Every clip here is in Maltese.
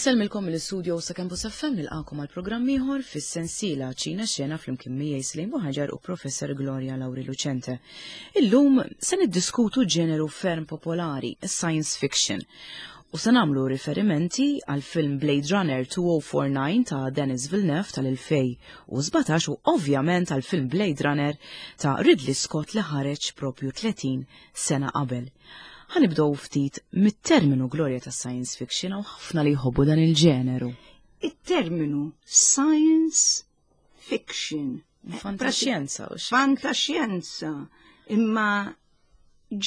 Insellmilkom mill-istudio sa Campus FM nilqakom għal programm ieħor fis-sensiela Ċina Xena flimkien miegħi Slim Buħaġar u Professor Gloria Lauri Lucente. Illum se niddiskutu ġeneru ferm popolari, science fiction. U se nagħmlu riferimenti għal film Blade Runner 2049 ta' Denis Villeneuve tal-2017 u ovvjament għal film Blade Runner ta' Ridley Scott li ħareġ propju 30 sena qabel. Ħa nibdew ftit mit-terminu glorja ta' science fiction hawn ħafna li jħobbu dan il-ġeneru. It-terminu science fiction. Fantaxjenza. Fantaxjenza. Imma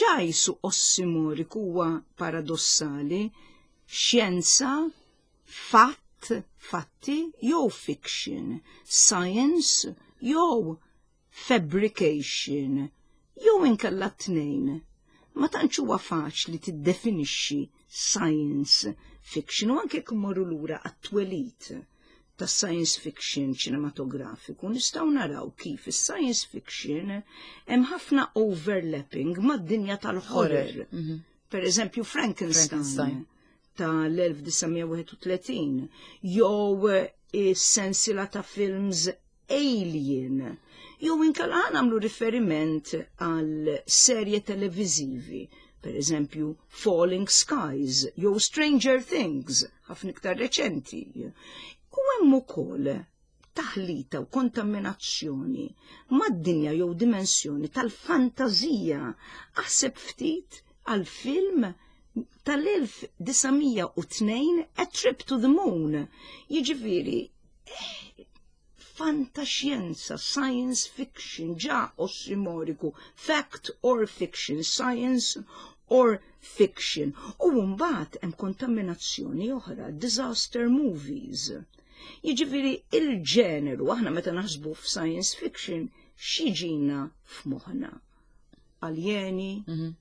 ġa jisu ossimoriku huwa paradossali, xjenza, fatt, fatti, jew fiction, science, jew fabrication, jew inkella t-tnejn. Ma tantx huwa faċli tiddefinixxi science fiction u anke jekk immorru lura għat-twelid ta' science fiction ċinematografiku nistgħu naraw kif is-science fiction hemm ħafna overlapping mad-dinja tal-horror. Mhm. Per eżempju Frankenstein, Frankenstein. tal-1931 jew is-sensiela ta' films Alien, jew inkella ħa nagħmlu riferiment għal serje televiżivi, per eżempju Falling Skies jew Stranger Things, ħafna iktar reċenti. U hemm ukoll taħlita u kontaminazzjoni mad-dinja jew dimensjoni tal-fantażija. Aħseb ftit għal film tal-1902 A Trip to the Moon. Jiġifieri fantaxjenza, science fiction, ġa ossimoriku, fact or fiction, science or fiction. U mbagħad hemm kontaminazzjoni oħra, disaster movies. Jiġifieri il-ġeneru, aħna meta naħsbu f'science fiction, x'jiġina f'moħħna? Aljeni, mm -hmm.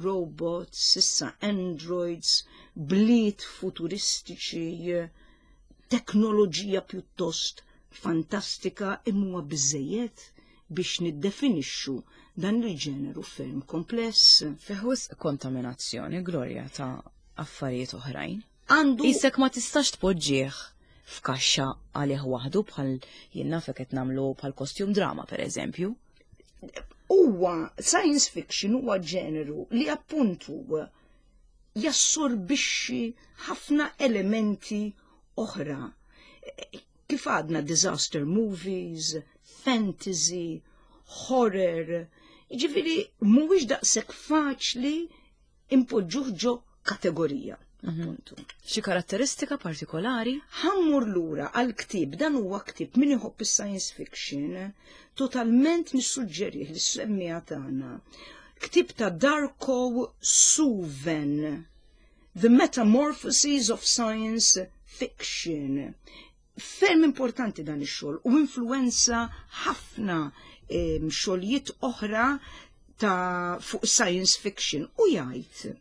robots, issa androids, bliet futuristiċi, teknoloġija pjuttost fantastika imma huwa biżejjed biex niddefinixxu dan il-ġeneru ferm kompless. Fih wisq kontaminazzjoni, Gloria, ta' affarijiet oħrajn. Għandu Isek ma tistax tpoġġih f'kaxxa għalih waħdu bħal jien naf qed nagħmlu bħal costume drama pereżempju. Huwa science fiction huwa ġeneru li appuntu jassorbixxi ħafna elementi oħra. Kif għadna disaster movies, fantasy, horror, ġifiri mhuwiex daqshekk faċli impoġġuh ġo kategorija. Mhm. Appuntu. Xi karatteristika partikolari? Ħa mmur lura għal ktieb, dan huwa ktieb min iħobb is-science fiction, totalment nissuġġerih lis-semmiegħa tagħna. Ktieb ta' Darko Suven, The Metamorphoses of Science Fiction. Ferm importanti dan ix-xogħol u influenza ħafna xogħlijiet oħra ta' fuq science fiction u jgħid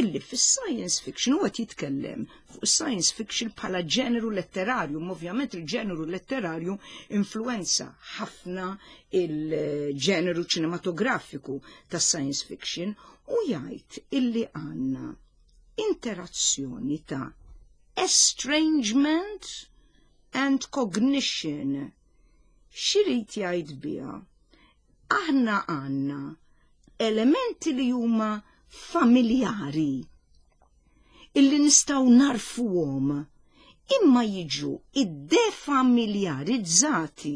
illi fis-science fiction huwa qed jitkellem fuq science fiction bħala ġeneru letterarju, ovvjament il-ġeneru letterarju influenza ħafna il-ġeneru ċinematografiku ta' science fiction u jgħid illi għandna interazzjoni ta' estrangement and cognition. X'irid jgħid biha? Aħna għandna elementi li huma familjari illi nistgħu narfuhom imma jiġu iddefamiljarizzati.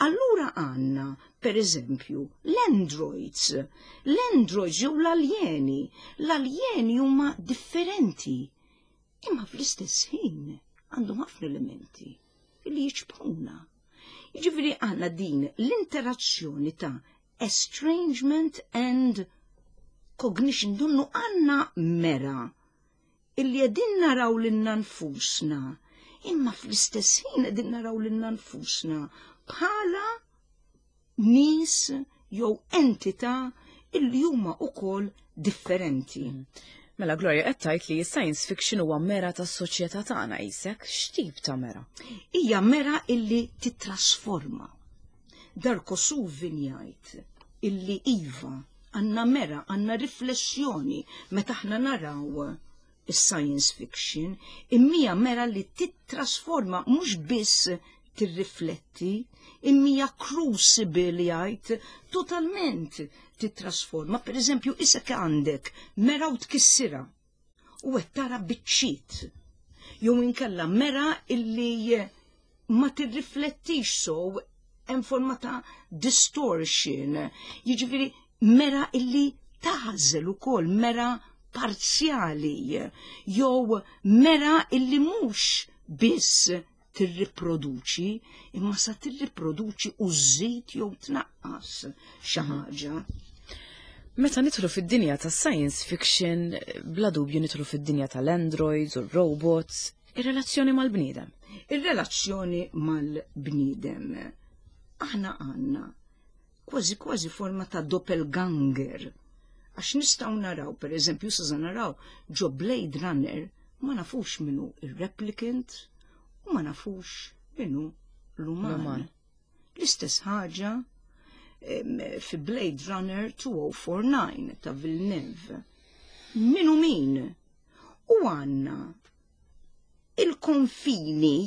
Allura għandna, per eżempju, l-androids. L-androids jew l-aljeni. L-aljeni huma differenti, imma fl-istess ħin għandhom ħafna elementi li jiċbħuna. Jiġifieri għandna din l-interazzjoni ta' estrangement and cognition donnu għandna mera illi qegħdin naraw lilna nfusna, imma fl-istess ħin qegħdin naraw lilna nfusna bħala nies jew entità illi huma wkoll differenti. Mela Gloria qed tgħid li science fiction huwa mera tas-soċjetà tagħna qisek, x'tip ta' mera? Hija mera illi titrasforma. Darko Suvin jgħid illi iva għandna mera, għandna riflessjoni meta aħna naraw. is-science fiction, imma hija mera li tittrasforma, mhux biss tirrifletti, imma hija crucible, jgħid, totalment titrasforma. Per eżempju, isek għandek mera u tkissira u qed tara biċċiet. Jew inkella mera illi ma tirriflettix, so hemm forma ta' distortion. Jiġifieri mera illi tażel ukoll, mera parzjali jew mera illi mhux biss tirriproduċi imma sa tirriproduċi u żżid jew tnaqqas xi ħaġa. Meta nidħlu fid-dinja ta' science fiction, bla dubju nidħlu fid-dinja tal-androids u robots, ir-relazzjoni mal-bniedem. Ir-relazzjoni mal-bniedem. Aħna għandna kważi kważi forma ta' doppelganger. Għax nistgħu naraw, per eżempju, sa naraw ġo Blade Runner, ma nafux minnu il-replicant u ma nafux minnu l-uman. L-istess ħaġa fi Blade Runner 2049 ta' Villeneuve. Minu min? U għandna il-konfini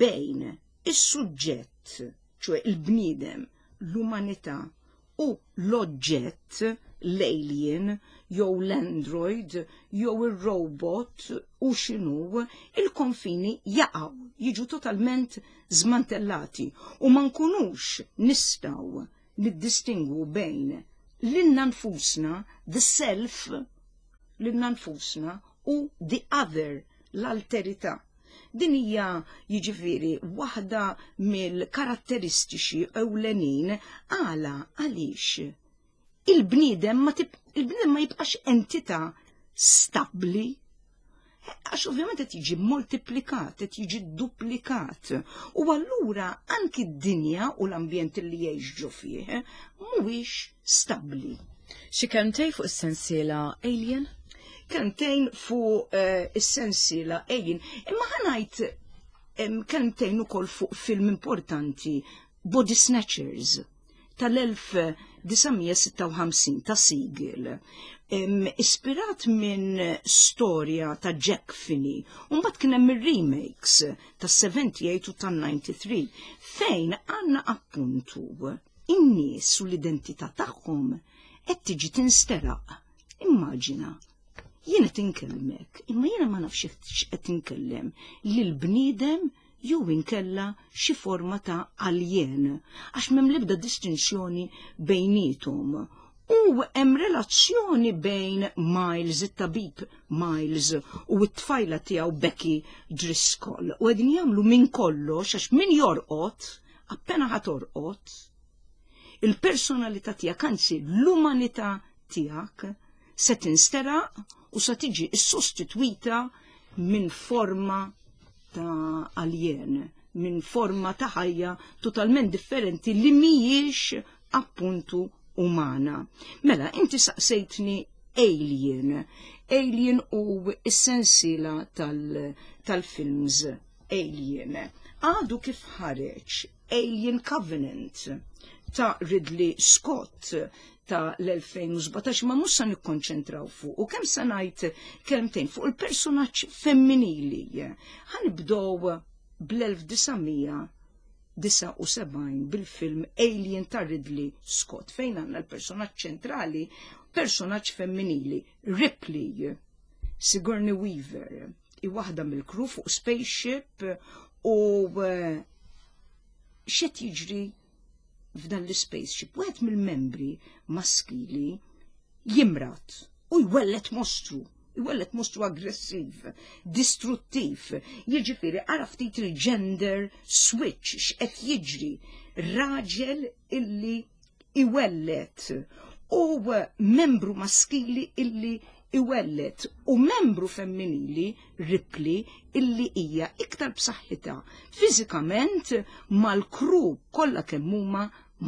bejn is-suġġett, ċoè il-bniedem, l-umanità, u l-oġġett, l-alien, jew l-android, jew il-robot u x'inhu, il-konfini jaqgħu, jiġu totalment zmantellati u ma nkunux nistgħu niddistingwu bejn lilna nfusna, the self, lilna nfusna, u the other, l-alterità. Din hija, jiġifieri, waħda mill-karatteristiċi ewlenin. Għala? Għaliex il-bniedem ma jibqax entità stabbli, għax ovvjament qed jiġi moltiplikat, qed jiġi duplikat. U allura anki d-dinja u l-ambjent li jgħix ġo fih mhuwiex stabbli. Xi kelmtejn fuq is-sensiela Alien? Kelmtejn fuq is-sensiela Alien. Imma ħa ngħid kelmtejn ukoll fuq film importanti, Body Snatchers tal-1956 ta' Siegel, ispirat minn storja ta' Jack Finney. Mbagħad kien hemm ir-remakes ta' 78 u ta' 93, fejn għandna appuntu in-nies u l-identità tagħhom qed tiġi tinsteraq. Immaġina, jien qed inkellmek, imma jiena ma nafx x'qed inkellem, lil bniedem jew inkella xi forma ta' alien, għax m'hemm l-ebda distinzjoni bejniethom. U hemm relazzjoni bejn Miles, it-tabib Miles, u t-tfajla tiegħu Becky Driscoll. U qegħdin jagħmlu minn kollox, għax min jorqod, appena ħa torqod, il-personalità tiegħek, anzi l-umanità tiegħek, se tinsteraq u se tiġi sostitwita minn forma ta' alien, minn forma ta' ħajja totalment differenti li mhijiex appuntu umana. Mela, inti saqsejtni Alien. Alien u s-sensiela tal-films Alien. Għadu kif ħareġ Alien Covenant ta' Ridley Scott ta' l-2017, ma mhux sa nikkonċentraw fuq u kemm sa ngħid kelmtejn fuq il-personaġġ femminili. Ħa nibdew bl-1979 bil-film Alien ta' Ridley Scott, fejn għandna l-personaġġ ċentrali, personaġġ femminili, Ripley, Sigourney Weaver, i waħda mill-crew fuq spaceship. U x'qed jiġri f'dan l-spaceship? Wieħed mill-membri maskili jimrat u jwellet mostru, jwellet mostru aggressiv, distruttiv. Jiġifieri ara ftit il-gender switch x'qed jiġri. Raġel illi iwellet u membru maskili illi iwellet u membru femminili, Ripley, illi hija iktar b'saħħitha fiżikament mal-crew kollha kemm huma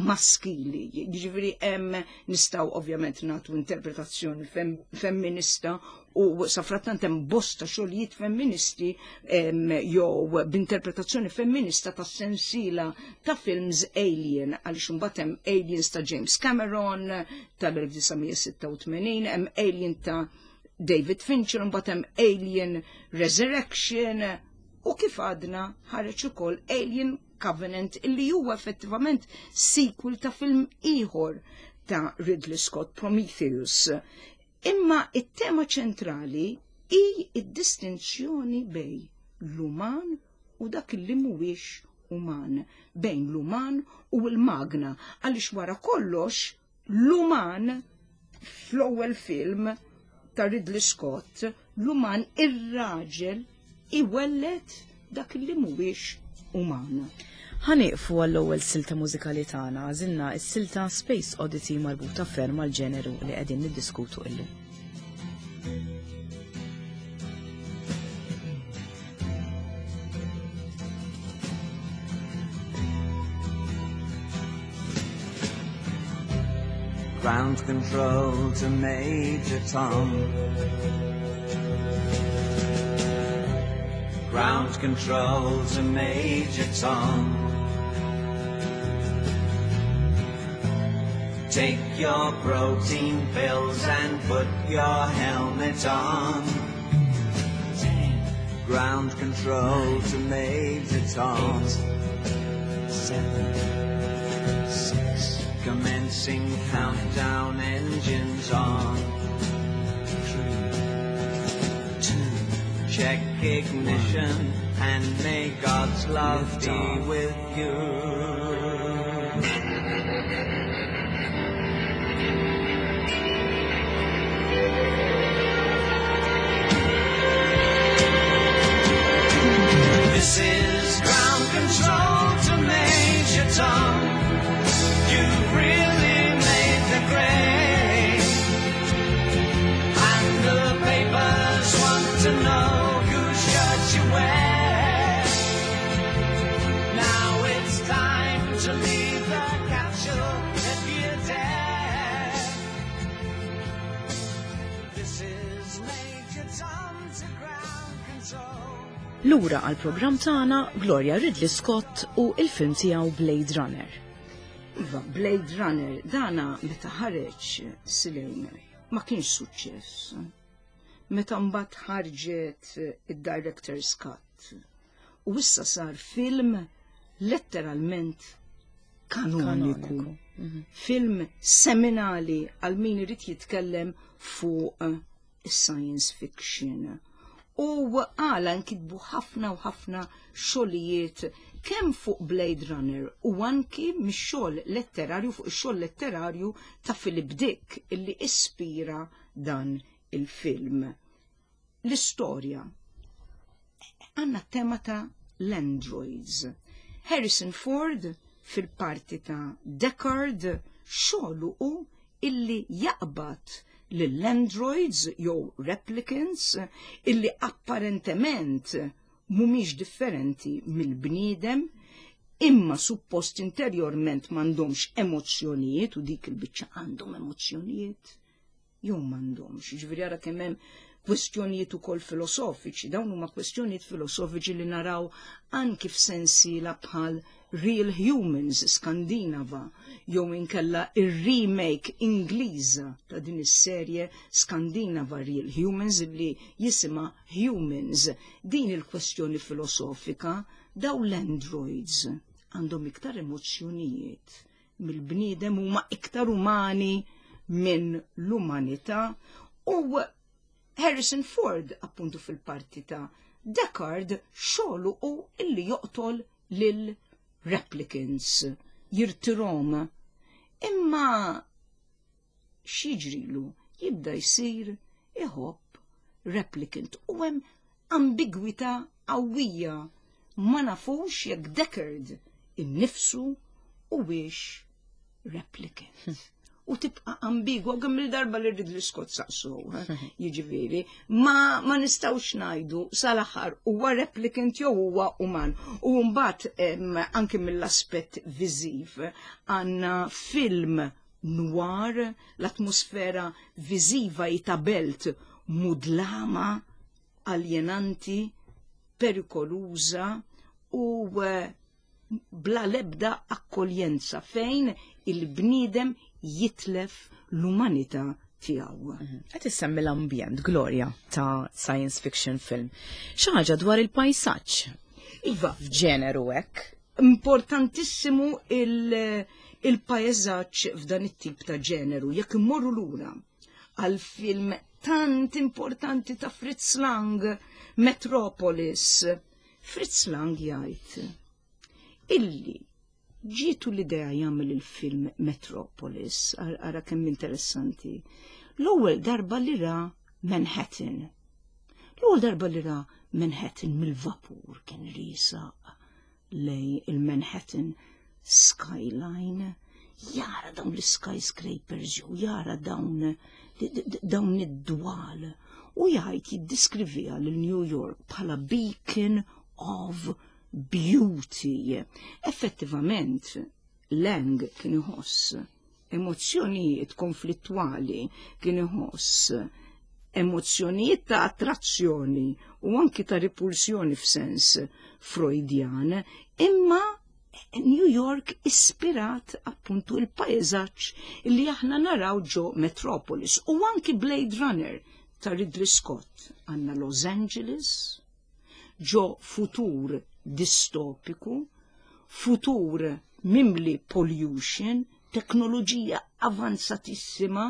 maskili. Jiġifieri hemm nistgħu ovvjament nagħtu interpretazzjoni femminista u safrattant hemm bosta xogħlijiet femministi jew b'interpretazzjoni femminista ta' sensiela ta' films Alien, għaliex imbagħad hemm Aliens ta' James Cameron tal-1986, hemm Alien ta' David Fincher, mbagħad hemm Alien Resurrection u kif għadna ħareġ ukoll Alien Covenant illi huwa effettivament sequel ta' film ieħor ta' Ridley Scott Prometheus. Imma it-tema ċentrali hi id-distinzjoni bej l-uman u dak li mhuwiex uman, bejn l-uman u l-magna, għaliex wara kollox l-uman fl-ewwel film ta' Ridley Scott, l-uman ir-raġel iwelled dak li mhuwiex uman. Ħa nieqfu għall-ewwel silta mużikali tagħna, għażilna s-silta Space Oddity marbuta ferm mal-ġeneru li qegħdin niddiskutu illum. Ground control to Major Tom. Ground control to Major Tom. Take your protein pills and put your helmet on. 10, Ground control to Major Tom. 8, 7, 6, Commencing countdown, engines on. 3, 2, Check ignition 1, and may God's love be off. with you. This is ground control to Major Tom. You've really made the grade. And the papers want to know whose shirt you wear. Now it's time to leave the capsule if you dare. This is Major Tom to ground control. Lura għal programm tagħna Gloria Ridley Scott u il-film tiegħu Blade Runner. Iva, Blade Runner, dana meta ħareġ Silene ma kienx suċċess. Meta mbagħad ħarġet id-Director's Cut. U issa sar film letteralment kanoniku. Film seminali għal min irid jitkellem fuq is-science fiction. U għala nkitbu ħafna u ħafna xogħlijiet kemm fuq Blade Runner u anki mix-xogħol letterarju fuq ix-xogħol letterarju ta' Philip Dick illi ispira dan il-film. L-istorja għandna tema ta' l-androids. Harrison Ford fil-parti ta' Deckard xogħlu hu illi jaqbad lill-androids jew replicants illi apparentement mhumiex differenti mill-bniedem imma suppost interjorment m'għandhomx emozzjonijiet u dik il-biċċa għandhom emozzjonijiet jew m'għandhomx. Ġifieri ara kemm hemm kwestjonijiet ukoll filosofiċi, dawn huma kwestjonijiet filosofiċi li naraw anki f'sensiela bħal Real Humans Skandinava jew inkella ir-remake Ingliża ta' din is-serje Skandinava Real Humans li jisimha Humans. Din il-kwestjoni filosofika daw l-androids għandhom iktar emozzjonijiet mill-bniedem, huma iktar umani minn l-umanità u Harrison Ford appuntu fil-parti ta' Deckard xogħlu u illi joqtol lil replicants jirtirhom. Imma x'jiġrilu jibda jsir iħobb replicant u hemm ambigwità qawwija ma nafux jekk Deckard innifsu huwiex replicant. U tibqa ambigwa kemm il-darba li Ridley Scott saqsu, jiġifieri, ma nistgħux ngħidu sal-aħħar huwa replicant jew huwa uman. U mbagħad anke mill-aspett viżiv għandna film noir, l-atmosfera viżiva ta' belt mudlama, aljenanti, perikoluża u bla lebda akkoljenza fejn il-bniedem jitlef l-umanità tiegħu. tiegħu. Qed issemmi l-ambjent, Gloria, ta' science fiction film. Xi ħaġa dwar il-pajsaġġ. Iva. F'ġeneru hekk. Importantissimu il-pajsaġġ f'dan it-tip ta' ġeneru. Jekk immorru lura għal film tant importanti ta' Fritz Lang, Metropolis. Fritz Lang jgħid illi ġietu l-idea jagħmel il-film Metropolis, ara kemm interessanti. L-ewwel darba li ra Manhattan. L-ewwel darba li ra Manhattan mill-vapur kien riesaq lejn il-Manhattan skyline, jara dawn l-skyscrapers jew jara dawn dawn id-dwal u jgħid jiddeskriviha lil New York bħala beacon of beauty. Effettivament, Lang kien iħoss emozzjonijiet konflittwali, kien iħoss emozzjonijiet ta' attrazzjoni u anki ta' ripulsjoni f'sens Freudjan, imma New York ispirat appuntu il-pajzaġġ li aħna naraw ġo Metropolis u anki Blade Runner ta' Ridley Scott. Għandna Los Angeles, ġo futur distopiku, futur mimli pollution, teknoloġija avanzatissima,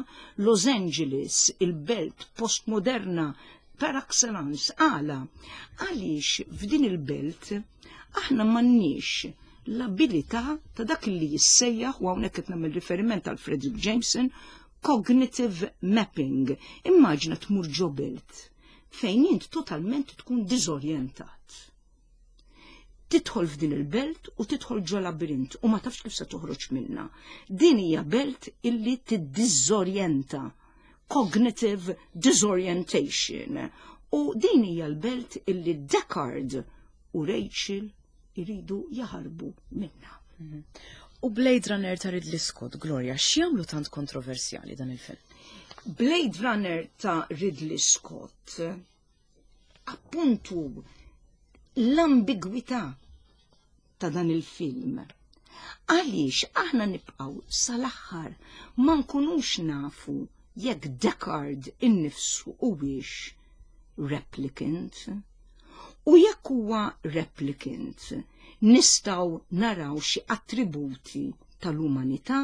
Los Angeles, il-belt postmoderna par excellence. Għala, għaliex f'din il-belt aħna m'għandniex l-abilità ta' dak li jissejjaħ, u hawnhekk qed nagħmel riferiment għal Fredric Jameson, cognitive mapping. Immaġina tmur ġo belt fejn int totalment tkun diżorjentat. Tidħol f'din il-belt u tidħol ġo labirint u ma tafx kif se toħroġ minna. Din hija belt illi tiddiżorjenta, cognitive disorientation. U din hija l-belt illi Deckard u Rachel iridu jaħarbu minna. U Blade Runner ta' Ridley Scott, Gloria, x'jagħmlu tant kontroversjali dan il-film? Blade Runner ta' Ridley Scott, appuntu l-ambigwità ta' dan il-film. Għaliex aħna nibqgħu sal-aħħar ma nkunux nafu jekk Deckard innifsu huwiex replicant. U jekk huwa replicant, nistgħu naraw xi attributi tal-umanità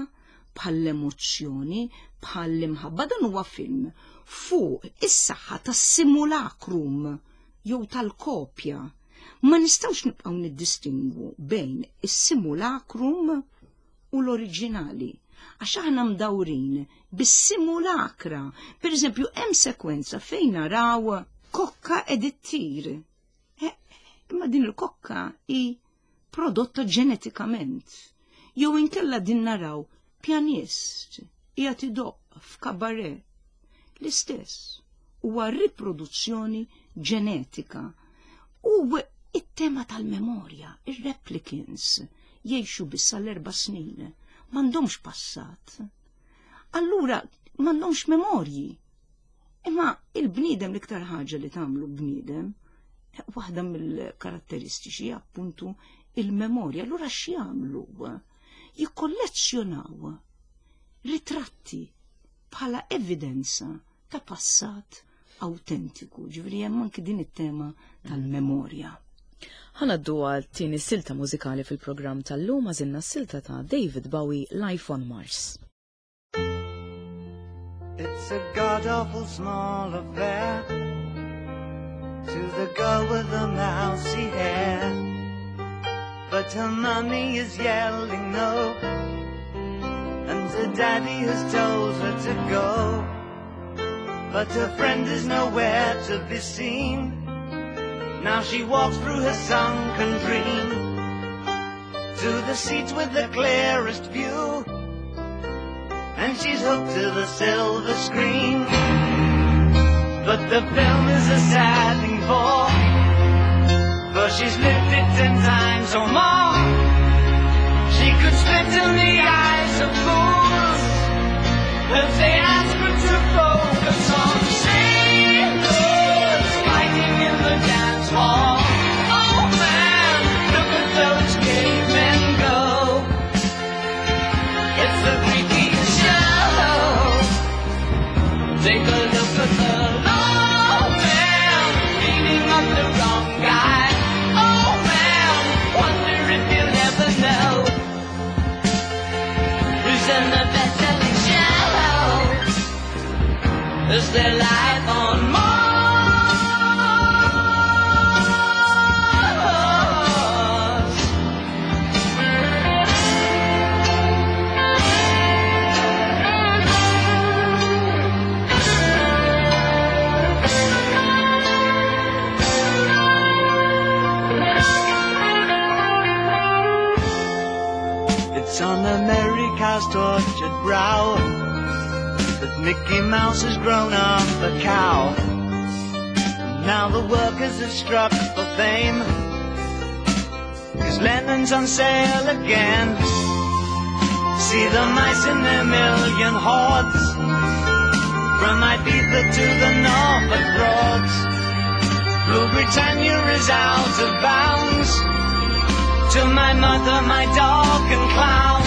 bħall-emozzjoni, bħall-imħabba. Dan huwa film fuq is-saħħa tas-simulacrum jew tal-kopja. Ma nistgħux nibqgħu niddistingwu bejn is-simulacrum u l-oriġinali, għax aħna mdawrin bis-simulacra. Per eżempju, hemm sekwenza fejn naraw kokka qed ittir. Imma din il-kokka hi prodotta ġenetikament. Jew inkella din naraw pjanist qiegħed idoqq f'kabaret. L-istess huwa riproduzzjoni ġenetika. U it-tema tal-memorja, ir-replicants jgħixu biss għal 4 snin, m'għandhomx passat. Allura m'għandhomx memorji. Imma il-bniedem, l-iktar ħaġa li tagħmlu bniedem, waħda mill-karatteristiċi appuntu il-memorja. Allura x'jagħmlu? Jikkollezzjonaw ritratti bħala evidenza ta' passat autentiku. Ġifieri hemm anki din it-tema tal-memorja. Ħa ngħaddu għal tieni silta mużikali fil-programm tal-lum, għażilna silta ta' David Bowie, Life on Mars. It's a god-awful small affair to the girl with the mousy hair, but her mommy is yelling no, and her daddy has told her to go, but her friend is nowhere to be seen. Now she walks through her sunken dream to the seat with the clearest view, and she's hooked to the silver screen. But the film is a sad thing for she's lived it 10 times or more. She could spit in the eyes of fools if they ask her to focus on sailors fighting in the dance hall. Oh man, look at those cavemen go. It's the freakiest show. Take a look at the old man beating up the wrong guy. Oh man, wonder if you'll ever know who's in the best-selling show. Is there life on Mars? It's on America's tortured brow that Mickey Mouse has grown up a cow. And now the workers have struck for fame, 'cause Lennon's on sale again. See the mice in their million hordes, from Ibiza to the Norfolk Broads. Blue Britannia is out of bounds, to my mother, my dog and clowns.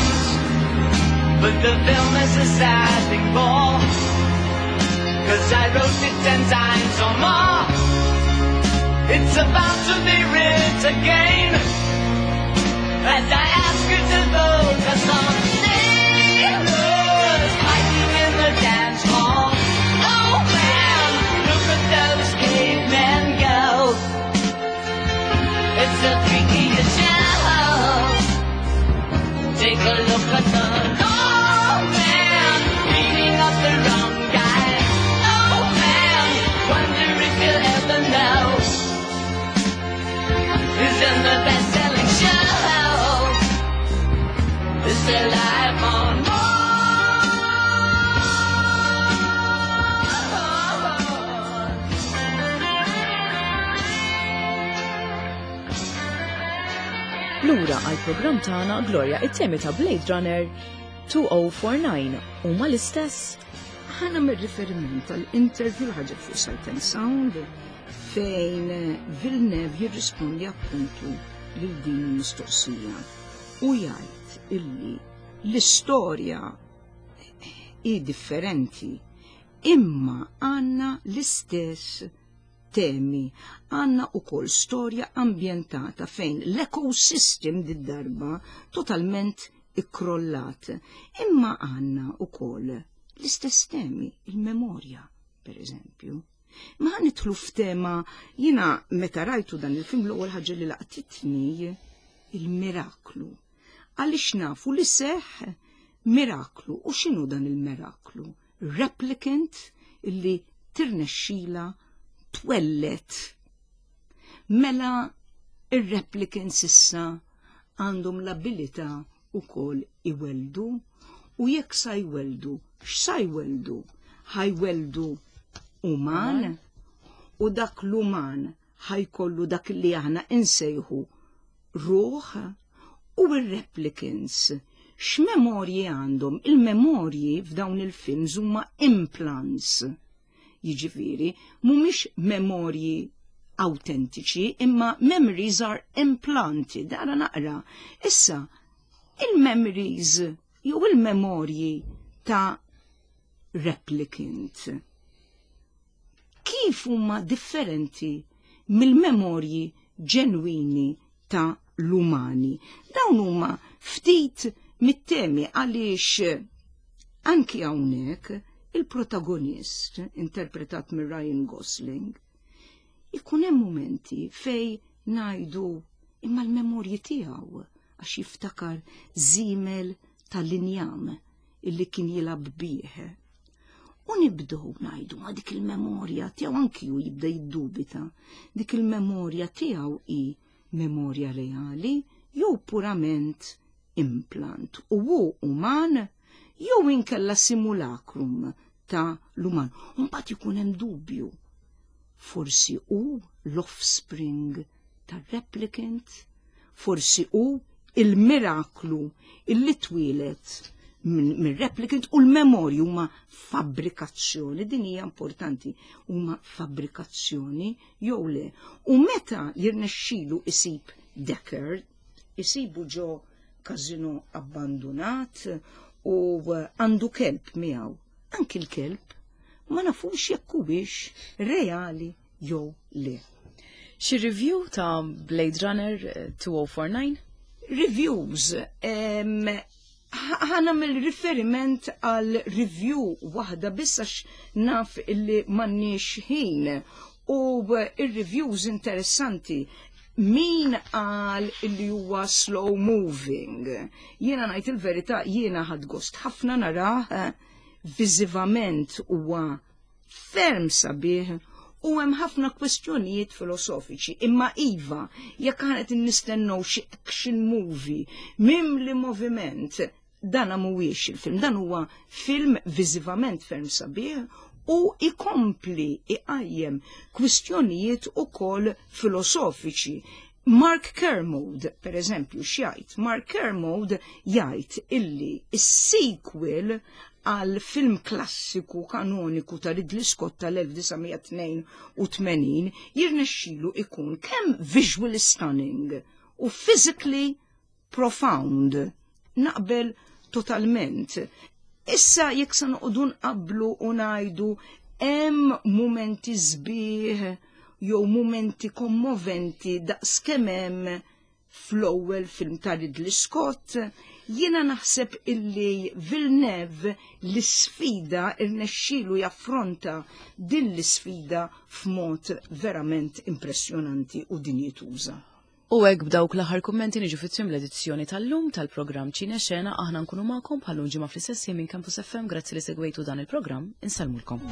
But the film is a sad thing for, 'cause I wrote it 10 times or more. It's about to be writ again, as I ask you to focus on sailors fighting in the dance hall. Oh man, look at those cavemen go. It's a freakiest show. Take a look at the old man beating up the wrong guy. Oh man, wonder if you'll ever know who's in the best-selling show. Is there life on Mars? Lura għal programm tagħna, Gloria, it-temi ta' Blade Runner 2049 huma l-istess? Ħa nagħmel riferiment għal interview ħaġa fuq Sight and Sound fejn Villeneuve jirrispondi appuntu lil din il-mistoqsija u jgħid illi l-istorja hi differenti, imma għandna l-istess temi. Għandna ukoll storja ambjentata fejn l-ecosystem did-darba totalment ikkrollat. Imma għandna ukoll l-istess temi, il-memorja, per eżempju. Ma nidħlu f'tema, jiena meta rajtu dan il-film l-ewwel ħaġa li laqtitni il-miraklu. Għaliex nafu li seħ miraklu. U x'inhu dan il-miraklu? Replicant illi tirnexxila twellet. Mela ir-replicants issa għandhom l-abilità ukoll iweldu, u jekk sa jweldu, x'sa jweldu? Ħa jweldu uman, u dak l-uman ħa jkollu dak li aħna insejħu ruħ. U ir-replicants x'memorji għandhom? Il-memorji f'dawn il-films huma implants. Jiġifieri mhumiex memorji autentiċi, imma memories are implanted. Dara naqra. Issa, il-memories jew il-memorji ta' replicant kif huma differenti mill-memorji ġenwini ta' l-umani? Dawn huma ftit mit-temi, għaliex anki hawnhekk il-protagonist interpretat minn Ryan Gosling ikun hemm momenti fej ngħidu imma l-memorji tiegħu, għax jiftakar żiemel tal-injam illi kien jilgħab bih. U nibdew ngħidu ma dik il-memorja tiegħu, anki hu jibda jiddubita, dik il-memorja tiegħu hi memorja reali jew purament implant, u hu uman jew inkella simulacrum ta' l-uman. U mbagħad ikun hemm dubju. Forsi hu l-offspring tar-replicant, forsi hu il-miraklu illi twieled minn replicant, u l-memorji huma fabbrikazzjoni, din hija importanti, huma fabbrikazzjoni jew le. U meta jirnexxilu isib Deckard, isibu ġo kazino abbandonat u għandu kelb miegħu. Anki l-kelb Ma nafux jekk huwiex reali jew le. Xi review ta' Blade Runner 2049? Reviews, ħa nagħmel riferiment għal review waħda biss għax naf illi m'għandniex ħin u ir-reviews interessanti min qal illi huwa slow moving. Jiena ngħid il-verità, jiena ħadt gost ħafna narah, viżivament huwa ferm sabiħ u hemm ħafna kwestjonijiet filosofiċi. Imma iva, jekk aħna qed nistennew xi action movie mimli moviment, dan mhuwiex il-film, dan huwa film viżivament ferm sabiħ u ikompli iqajjem kwistjonijiet ukoll filosofiċi. Mark Kermode, per eżempju, x'jgħid? Mark Kermode jgħid illi is-sequel għal film klassiku kanoniku ta' Ridley Scott tal-1982 jirnexxilu ikun kemm visually stunning u physically profound. Naqbel totalment. Issa jekk se noqogħdu nqablu u ngħidu hemm mumenti sbieħ jew mumenti kommoventi daqs kemm hemm fl-ewwel film ta' Ridley Scott, jiena naħseb illi Villeneuve l-isfida irnexxielu jaffronta din l-isfida f'mod verament impressjonanti u dinjituża. U hekk b'dawk l-aħħar kummenti niġu fit-tmiem l-edizzjoni tal-lum tal-programm Ċine Xena. Aħna nkunu magħkom bħal ġimgħa fl-istess minn Campus FM. Grazzi li segwejtu dan il-programm. Insellmulkom.